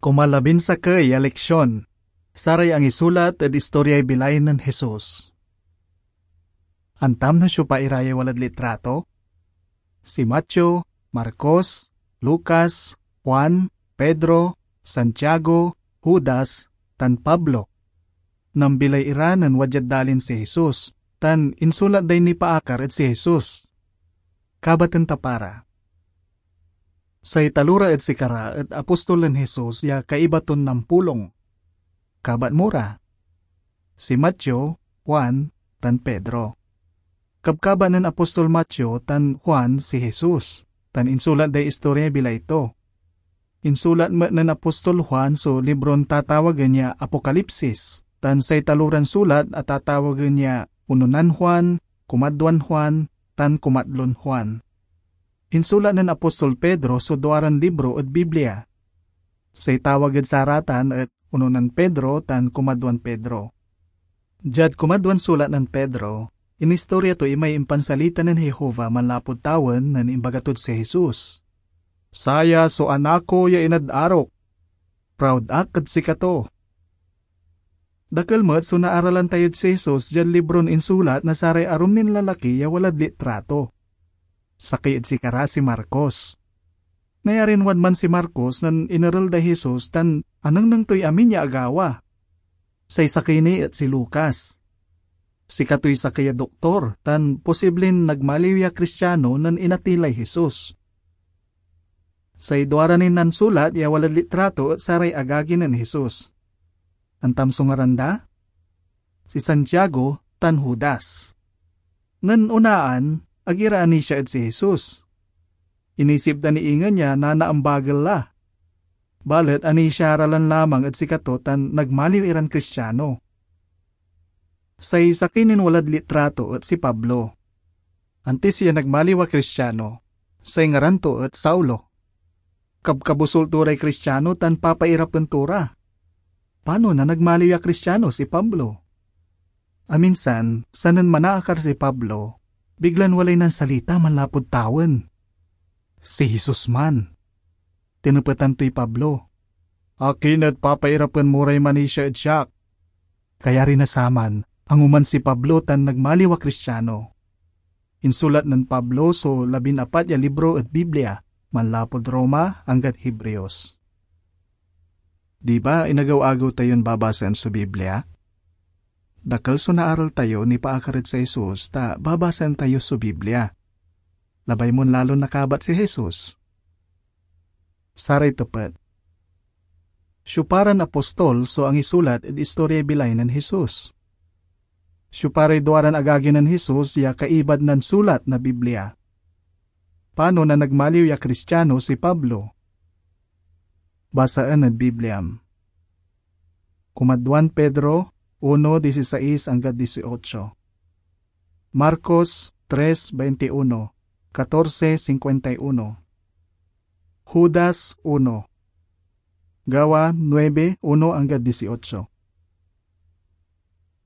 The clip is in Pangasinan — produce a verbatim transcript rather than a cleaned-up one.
Onla labin sakey ya leksion, saray angisulat ed istoryay bilay nen Jesus. Antam no siopa ira ya walad litrato? Si Mateo, Marcos, Lucas, Juan, Pedro, Santiago, Judas, tan Pablo. Nambilay ira nen wadyad dalin si Jesus, tan insulat day nipaakar ed si Jesus. Kabaten ta para. Say talora ed sikara et apostol nen Jesus ya kaiba ton nampulong. Kabat mo ra: si Mateo, Juan, tan Pedro. Kabkabat nen apostol Mateo tan Juan si Jesus, tan insulat day istorya bilay to. Insulat met nen apostol Juan so libron tatawagen ya Apokalipsis, tan say taloran sulat a tatawagen ya Unonan Juan, Kumadwan Juan, tan Kumatlon Juan. Insulat nen apostol Pedro so duaran libro ed Biblia. Say tawag ed saratan et Unonan Pedro tan Kumadwan Pedro. Diad kumadwan sulat nen Pedro, inistorya to imay impansalita nen Jehovah manlapud tawen nen imbaga tod si Jesus, "Saya so Anak ko ya inad arok. Proud ak ed sikato." Dakel met so naaralan tayod si Jesus diad libron insulat na saray arum nin lalaki ya walad litrato. Sakey ed sikara si Marcos. Nayarin wadman si Marcos nen inerel day Jesus tan anengneng toy amin ya agawa. Say sakey ni et si Lucas. Sikatoy sakey a doktor tan posiblin nagmaliw ya Kristiano nen inatey lay Jesus. Say duara nin nansulat ya walad litrato et saray agagi nen Jesus. Antam so ngaran da? Si Santiago tan Judas. Nen onaan, ag ira anisia ed si Jesus. Inisip da ni ingen ya nanaambagel la. Balet anisia ra lan lamang ed sikato tan nagmaliw iran Kristiano. Say sakey nin walad litrato et si Pablo. Antis ya nagmaliw a Kristiano, say ngaran to et Saulo. Kabkabusol to ray Kristiano tan papairapen to ra. Panon a nagmaliw ya Kristiano si Pablo? Aminsan, sanen manaakar si Pablo, biglan walay nansalita manlapud tawen. Si Jesus man. Tinepetan toy Pablo, "Akin et papairapen mo ray manisia ed siak?" Kayari na saman, anguman si Pablo tan nagmaliw a Kristiano. Insulat nen Pablo so labin-apat ya libro ed Biblia, manlapud Roma anggad Hebreos. Di ba inagew-agew tayon babasaen so Biblia? Dakel so naaral tayo nipaakar ed si Jesus ta babasaen tayo so Biblia. Labay mon lalon nakabat si Jesus. Saray tepet: siopa ran apostol so angisulat ed istoryay bilay nen Jesus? Siopa ray duaran agagi nen Jesus ya kaibad nansulat na Biblia? Panon a nagmaliw ya Kristiano si Pablo? Basaen ed Bibliam. Kumadwan Pedro uno dieciséis anggad dieciocho. Marcos tres veintiuno, catorce cincuenta y uno. Judas uno. Gawa nuebe uno anggad dieciocho.